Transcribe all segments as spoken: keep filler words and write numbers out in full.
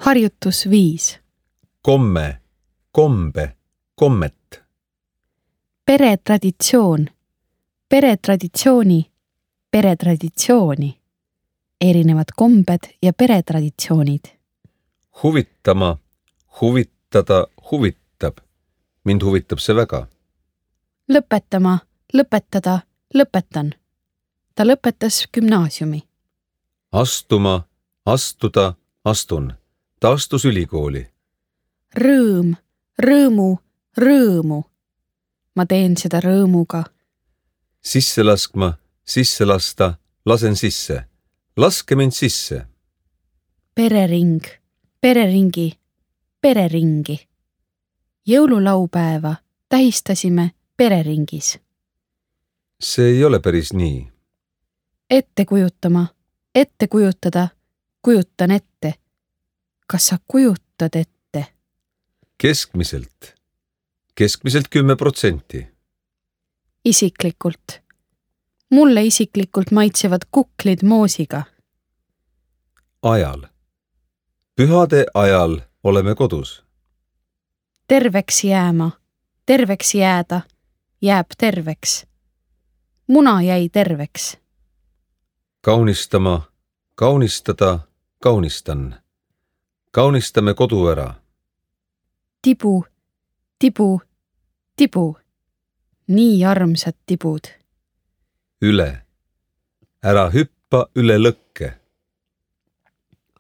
Harjutus viis. Komme, kombe, kommet. Peretraditsioon. Peretraditsiooni. Peretraditsiooni. Erinevad kombed ja peretraditsioonid. Huvittama, huvitada, huvitab. Mind huvitab see väga. Lõpetama, lõpetada, lõpetan. Ta lõpetas gümnaasiumi. Astuma, astuda, astun. Ta astus ülikooli. Rõõm, rõõmu, rõõmu. Ma teen seda rõõmuga. Sisse laskma, sisse lasta, lasen sisse. Laske mind sisse. Perering, pereringi, pereringi. Jõululaupäeva tähistasime pereringis. See ei ole päris nii. Ette kujutama, ette kujutada, kujutan ette. Kas sa kujutad ette? Keskmiselt. Keskmiselt kümme protsenti. Isiklikult. Mulle isiklikult maitsevad kuklid moosiga. Ajal. Pühade ajal oleme kodus. Terveks jääma, terveks jääda, jääb terveks. Muna jäi terveks. Kaunistama, kaunistada, kaunistan. Kaunistame kodu ära. Tibu, tibu, tibu. Nii armsad tibud. Üle. Ära hüppa üle lõkke.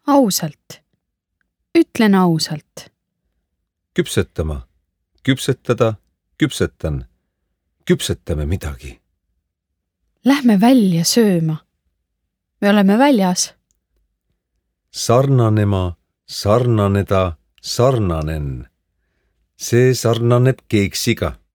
Ausalt. Ütlen ausalt. Küpsetama, küpsetada, küpsetan. Küpsetame midagi. Lähme välja sööma. Me oleme väljas. Sarnanema, sarnaneda, sarnanen. See sarnaneb keeksiga.